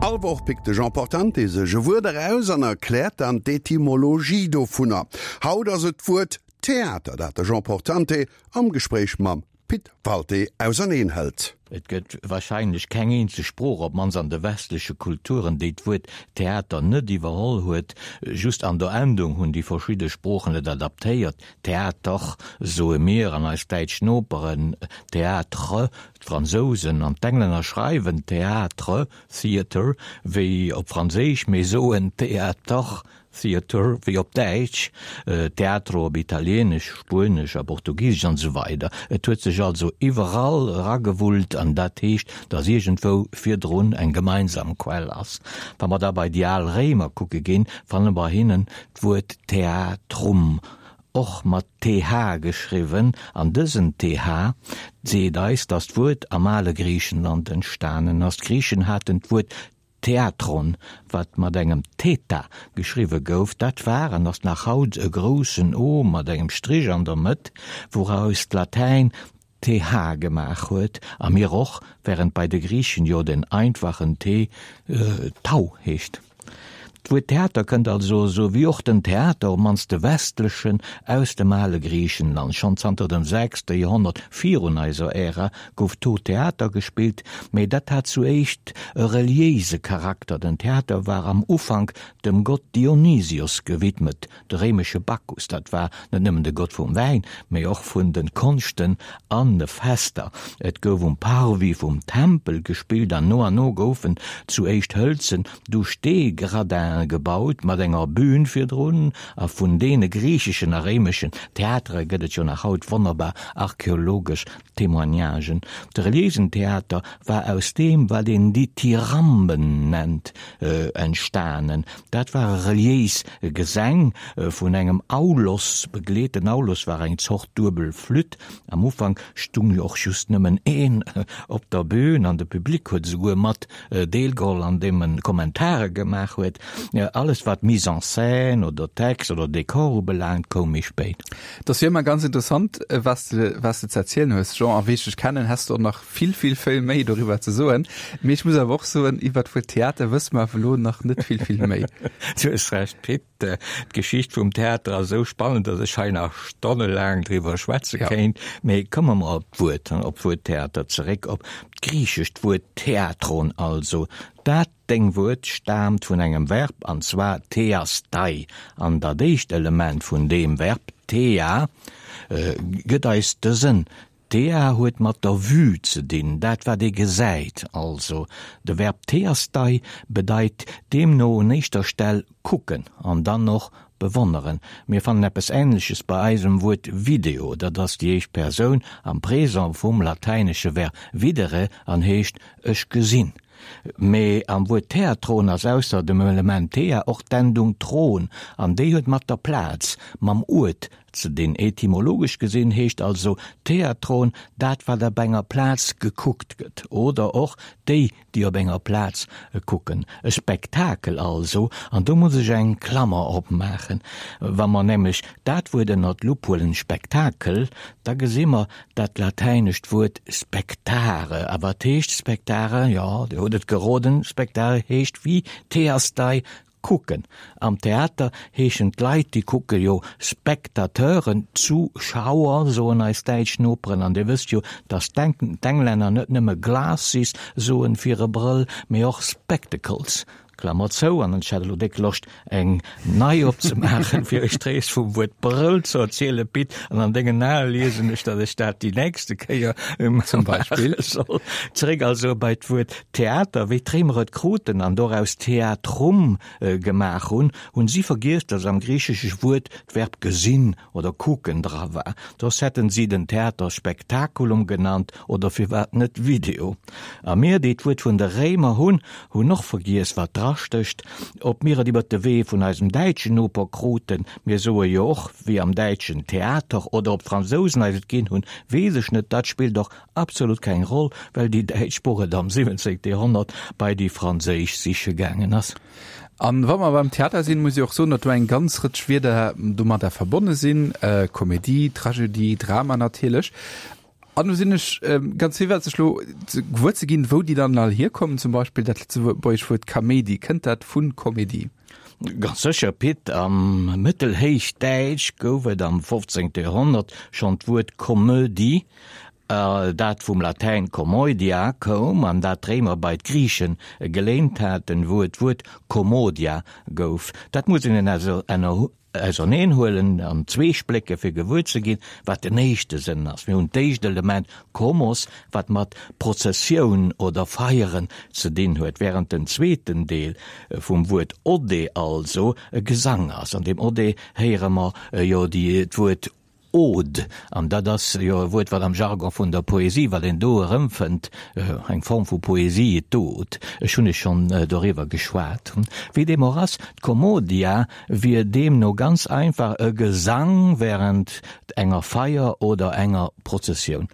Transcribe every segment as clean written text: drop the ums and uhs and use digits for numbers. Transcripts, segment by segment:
All Woch pickt de Jean Portante sech e Wuert eraus an erkläert dann d'Etymologie dovunner. Haut ass et d'Wuert Theater, dat de Jean Portante am Gespréich mam Pit Walté auserneen hëlt. Et gëtt warscheinlech keng eenzeg Sprooch, op d'mannst an de westleche Kulturen, déi d'Wuert Theater net iwwerholl huet. Just an der Endung hunn déi verschidde Sproochen et adaptéiert, Theater soe mir an eis däitsch Noperen, Théâtre, d'Fransousen an d'Englänner schreiwen Théâtre, Theatre, wéi op Franséisch, mee soen Theater, Theatre wéi op Däitsch, Teatro op Italieenesch, Spuenesch a Portugisesch an esou weider. Et huet sech also iwwerall eragewullt an dat heescht, datt iergendwou virdrun eng gemeinsam Quell ass. Wa mer da bei déi al Réimer kucke ginn, fanne mer hinnen d'Wuert Theatrum, och mat th geschriwwen, an dësen th seet eis, datt d'Wuert am ale Griichenland entstanen ass. D'Griichen haten d'Wuert Theatron, wat mat engem Theta geschriwwe gouf, dat war an ass nach haut e groussen O mat engem Strich an der Mëtt, wouraus d'Latäin th gemaach huet, a mir och, während bei de Griichen jo den einfachen T Tau heescht. D'Wuert Theater kënnt also, esou wéi och den Theater, op mannst de westlechen, aus dem ale Griichenland. Schonn zanter dem sechste Joerhonnert virun eiser Ära gouf do Theater gespillt, mee dat hat zu éischt e reliéise Charakter. Den Theater war am Ufank dem Gott Dionysios gewidmet, De réimesche Bacchus, dat war net nëmmen de Gott vum Wäin, mee och vun de Konschten an de Fester. Et gouf um Parvis vum Tempel gespillt an no an no goufen zu éischt hëlzen, du Stee-Gradin'e gebaut mat enger Bühn virdrun. A vun deene griicheschen a réimeschen Theatere gëtt et jo nach haut wonnerbar archeologesch Témoignagen. De reliéisen Theater war aus deem, wat een Dithyramben nennt, entstanen. Dat ware reliéis Gesäng, vun engem Aulos begleet. Den Aulos war eng Zort duebel Flütt. Am Ufank stung jo och just nëmmen een op der Bühn an de Public huet esouguer mat deelgeholl, andeem en Kommentare gemaach huet. Alles wat Mise en scène oder Text oder Dekor ubelaangt, koum méi spéit. Et ass wéi ëmmer ganz interessant, wat s de, wat s de ze erzielen hues, Jean. A wéi ech dech kennen, häss de och nach vill, vill, vill méi doriwwer ze soen. Mee ech muss awer och soen, iwwer d'Wuert Theater wësse mer awer elo nach net vill, vill méi. Du hues Recht, Pit. D'Geschicht vum Theater ass esou spannend, datt ech hei nach stonnelaang driwwer schwätze kéint. Mee komme mer op d'Wuert, op d'Wuert Theater zeréck, op d'griichescht Wuert Theatron also. Dat Deng Wuert staamt vun engem Verb, an zwar theastai, an dat éischt Element vun deem Verb, thea, gëtt eis de Sënn. Thea huet mat der Vue ze dinn, dat wat ee gesäit also. De Verb theastai bedeit deemno un éischter Stell kucken an dann och bewonneren. Mir fannen eppes Änleches bei eisem Wuert Video, dat ass déi éischt Persoun am Présent vum latäinesche Verb videre an heescht ech gesinn. Mee am Wuert Theatron ass ausser dem Element thea och d'Endung tron, an déi huet mat der Plaz, mam Uert ze dinn. Etymologesch gesinn heescht also Theatron dat wat op enger Plaz gekuckt gëtt, oder och déi, déi op enger Plaz kucken. E Spektakel also, an do muss ech eng Klammer opmaachen. Wa mer nämlech dat Wuert ënner d'Lupp huelen, Spektakel, da gesi mer dat latäinescht Wuert spectare. A wat heescht spectare? Jo, Dir hutt et geroden, spectare heescht wéi theastai, kucken. Am Theater heeschen d'Leit, déi kucke jo Spectateuren, Zuschauer, soen eis däitsch Noperen. An Dir wësst jo, datt d'Englänner net nëmme glasses soen fir e Brëll, mee och spectacles. Klammer zou. An ech hat elo déck Loscht, eng nei opzemaachen, fir iech d'Rees vum Wuert Brëll ze erzielen, Pit. An an dengen Ae liesen ech, datt ech dat déi nächste Kéier Zum Beispill. maache soll. Zeréck also bei d'Wuert Theater, wéi d'Réimer et kruten an doraus Theatrum gemaach hunn, hunn si vergiess, datt am griichesche Wuert d'Verb gesinn oder kucken dra war. Soss hätten si den Theater Spectaculum genannt oder firwat net Video. A mir, déi d'Wuert vun de Réimer hunn, hunn och vergiess, wat drastécht. Ob mir et iwwer de Wee vun eisem däitschen Noper kruten, mir soe jo och wéi am Däitschen Theater, oder ob d'Fransousen eis et ginn hunn, weess ech net. Dat spillt och Absolut keng Roll, well déi däitsch Sprooch et am 17. Joerhonnert bei déi franséisch siche gaangen ass. An wa mer beim Theater sinn, muss ech och soen, datt do eng ganz Rëtsch Wierder domadder verbonne sinn, Komedie, Tragödie, Drama natierlech. An du sinn ech ganz virwëtzeg lo gewuer ze ginn, wou déi dann all hierkommen. Zum Beispill dat lëtzebuergesch Wuert Kaméidi, kënnt dat vu Komedie? Ganz sécher, Pit. Am Mëttelhéichdäitsch gouf et am 15. Joerhonnert schonn d'Wuert Komödie, dat vum Latäin commoedia koum an dat d'Réimer bei d'Griiche geléint haten, wou et d'Wuert commodia gouf. Dat muss een auserneen huelen an zwee splécke fir gewuer ze ginn, wat den éischte Sënn ass. Mir hunn d'éischt Element komos, wat mat Prozessioun oder Feieren ze dinn huet, während den zweeten Deel vum Wuert ode also e Gesang ass. An deem ode héiere mer jo d'Wuert Ode, an dat ass jo e Wuert, wat am Jargon vun der Poesie, wat een do erëmfënnt, eng Form vu Poesie, d'Ode, ech hunn ech schonn doriwwer geschwat. Wéi deem och ass, d'Commodia wier deemno ganz einfach e Gesang wärend enger Feier oder enger Prozessioun.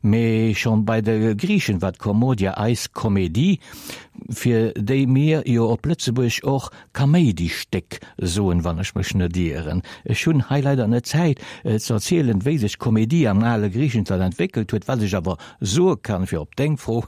Mee schonn bei de Griichen war d'Commodia eis Komedie, fir déi mir jo op Lëtzebuerg och Kaméidistéck soen, wann ech mech net ieren. Ech hunn hei leider net d'Zäit ze erzielen, wéi sech d'Komedie am ale Griichenland entwéckelt huet. Wat ech awer soe kann, fir op deng Fro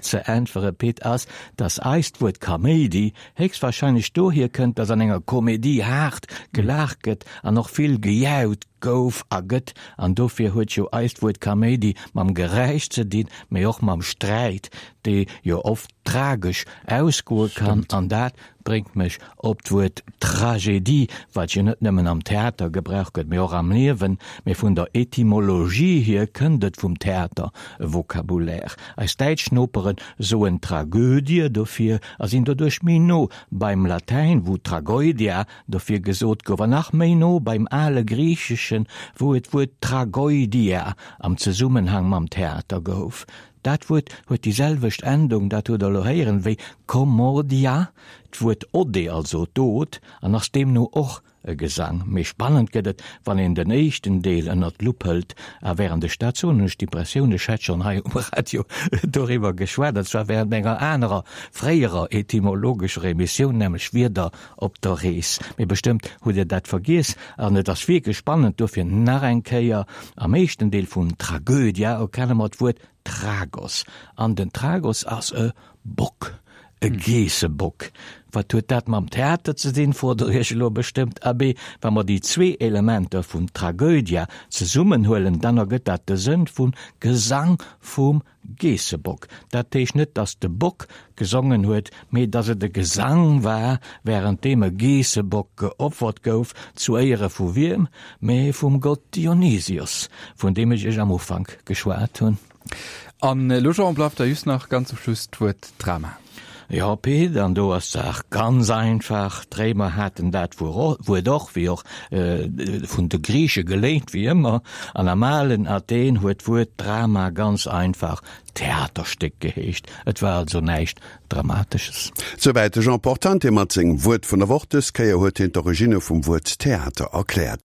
ze äntwere Pit, ass, dass eist Wuert Kaméidi héchstwahrscheinlech dohier kënnt, dass an enger Komedie haart gelaacht gëtt an och vill gejaut gouf a gëtt. An dofir huet jo eist Wuert Kaméidi mam Geräisch ze dinn, mee och mam Sträit, dee jo oft tragesch ausgoe kann. An dat bréngt mech op d'Wuert Tragedie, wat jo net nëmmen am Theater gebraucht gëtt, mee och am Liewen. Mee vun der Etymologie hier kënnt et vum Theatervokabulär. Eis däitsch Nopere soen Tragödie dofir a sinn doduerch méi no beim Latäin, wou Tragoedia dofir gesot gouf, an nach méi no beim ale Griicheschen, wou et d'Wuert Tragoidia am Zesummenhang mam Theater gouf. Dat Wuert huet déi selwecht Endung, dat hutt Der elo héieren, wéi Commodia, d'Wuert Ode, also d'Od, an ass deemno och e Gesang. Méi spannend gëtt et, wann een den éischten Deel ënnert d'Lupp hëlt. A wärend ech dat soen, hunn ech d'Impressioun, ech hätt schonn hei um Radio doriwwer geschwat, an zwar wärend enger anerer, fréierer etymologescher Emissioun, nämlech Wierder op der Rees. Mee bestëmmt hutt Dir dat vergiess. An et ass wierklech spannend, dofir nach eng Kéier, Am éischten Deel vun Tragödia erkenne mer d'Wuert Tragos. An den Tragos ass e Bock, e Geessebock. Wat huet dat mam Theater ze dinn, frot Der Iech elo bestëmmt. Abee, wa mer déi zwee Elementer vun Tragödia zesummenhuelen, dann ergëtt dat de Sënn vun Gesang vum Geessebock. Dat heescht net, dass de Bock gesongen huet, mee dass et e Gesang war, wärend deem e Geessebock geopfert gouf, zu Éiere vu wiem? Mee vum Gott Dionysios, vun deem ech iech am Ufank geschwat hunn. An elo, Jean, bleift da just nach ganz zum Schluss d'Wuert Drama. Jo, Pit, an do ass d'Saach ganz einfach, D'Réimer haten dat Wuert och, wéi och vun de Griiche geléint, wéi ëmmer. An am alen Athen huet d'Wuert Drama ganz einfach Theaterstéck geheescht. Et war also näischt Dramatesches. Souwäit de Jean Portante mat sengem Wuert vun der Woch. Dës Kéier huet hien d'Originne vum Wuert Theater erkläert.